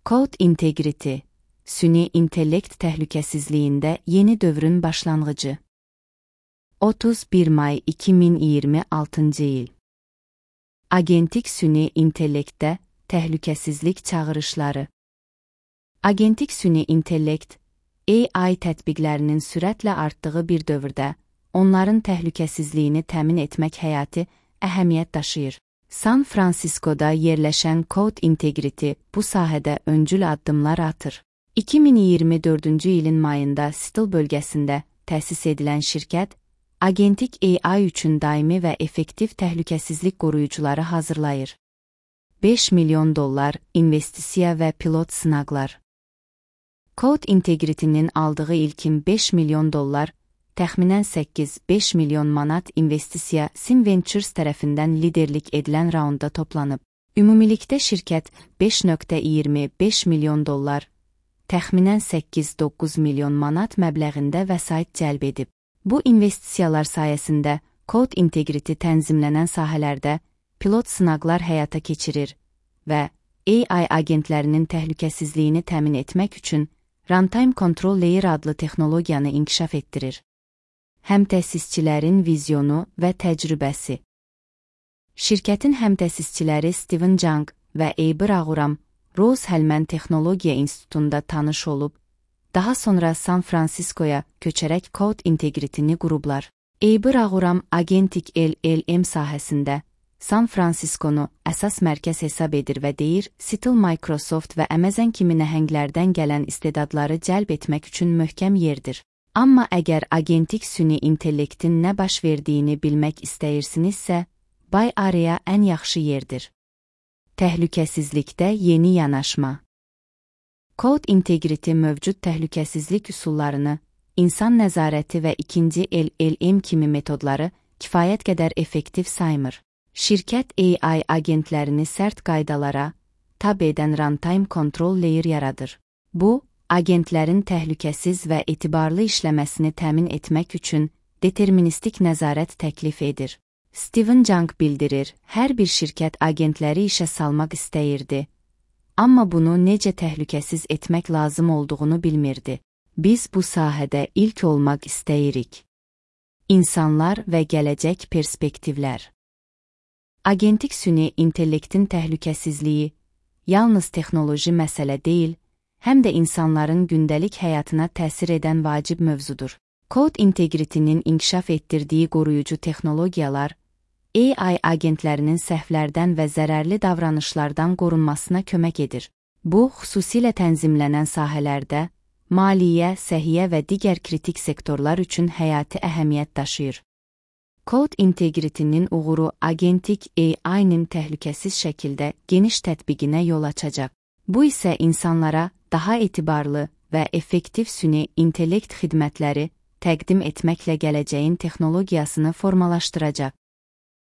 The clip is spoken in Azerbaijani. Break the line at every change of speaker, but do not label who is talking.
Code Integrity, süni intellekt təhlükəsizliyində yeni dövrün başlanğıcı. 31 may 2026 il. Agentik süni intellektdə təhlükəsizlik çağırışları. Agentik süni intellekt, AI tətbiqlərinin sürətlə artdığı bir dövrdə, onların təhlükəsizliyini təmin etmək həyati əhəmiyyət daşıyır. San Francisco'da yerləşən Code Integrity bu sahədə öncül addımlar atır. 2024-cü ilin mayında Seattle bölgəsində təsis edilən şirkət, agentik AI üçün daimi və effektiv təhlükəsizlik qoruyucuları hazırlayır. $5 milyon investisiya və pilot sınaqlar. Code Integrity'nin aldığı ilkin $5 milyon, təxminən 8-5 milyon manat investisiya Sim Ventures tərəfindən liderlik edilən raunda toplanıb. Ümumilikdə şirkət $5.25 milyon, təxminən 8-9 milyon manat məbləğində vəsait cəlb edib. Bu investisiyalar sayəsində Code Integrity tənzimlənən sahələrdə pilot sınaqlar həyata keçirir və AI agentlərinin təhlükəsizliyini təmin etmək üçün Runtime Control Layer adlı texnologiyanı inkişaf etdirir. Həmtəsisçilərin vizyonu və təcrübəsi. Şirkətin həmtəsisçiləri Steven Jung və Eybir Ağuram, Rose-Hulman Texnologiya İnstitutunda tanış olub, daha sonra San Francisco'ya köçərək Code Integrity'ni qurublar. Eybir Ağuram agentik LLM sahəsində San Francisco'nu əsas mərkəz hesab edir və deyir, Seattle, Microsoft və Amazon kimi nəhənglərdən gələn istedadları cəlb etmək üçün möhkəm yerdir. Amma əgər agentik süni intellektin nə baş verdiyini bilmək istəyirsinizsə, Bay Area ən yaxşı yerdir. Təhlükəsizlikdə yeni yanaşma. Code Integrity mövcud təhlükəsizlik üsullarını, insan nəzarəti və ikinci LLM kimi metodları kifayət qədər effektiv saymır. Şirkət AI agentlərini sərt qaydalara tab edən Runtime Control Layer yaradır. Bu, agentlərin təhlükəsiz və etibarlı işləməsini təmin etmək üçün deterministik nəzarət təklif edir. Steven Jung bildirir, hər bir şirkət agentləri işə salmaq istəyirdi, amma bunu necə təhlükəsiz etmək lazım olduğunu bilmirdi. Biz bu sahədə ilk olmaq istəyirik. İnsanlar və gələcək perspektivlər. Agentik süni intellektin təhlükəsizliyi yalnız texnoloji məsələ deyil, həm də insanların gündəlik həyatına təsir edən vacib mövzudur. Code Integrity'nin inkişaf etdirdiyi qoruyucu texnologiyalar, AI agentlərinin səhvlərdən və zərərli davranışlardan qorunmasına kömək edir. Bu, xüsusilə tənzimlənən sahələrdə, maliyyə, səhiyyə və digər kritik sektorlar üçün həyati əhəmiyyət daşıyır. Code Integrity'nin uğuru agentik AI-nin təhlükəsiz şəkildə geniş tətbiqinə yol açacaq. Bu isə insanlara daha etibarlı və effektiv süni intellekt xidmətləri təqdim etməklə gələcəyin texnologiyasını formalaşdıracaq.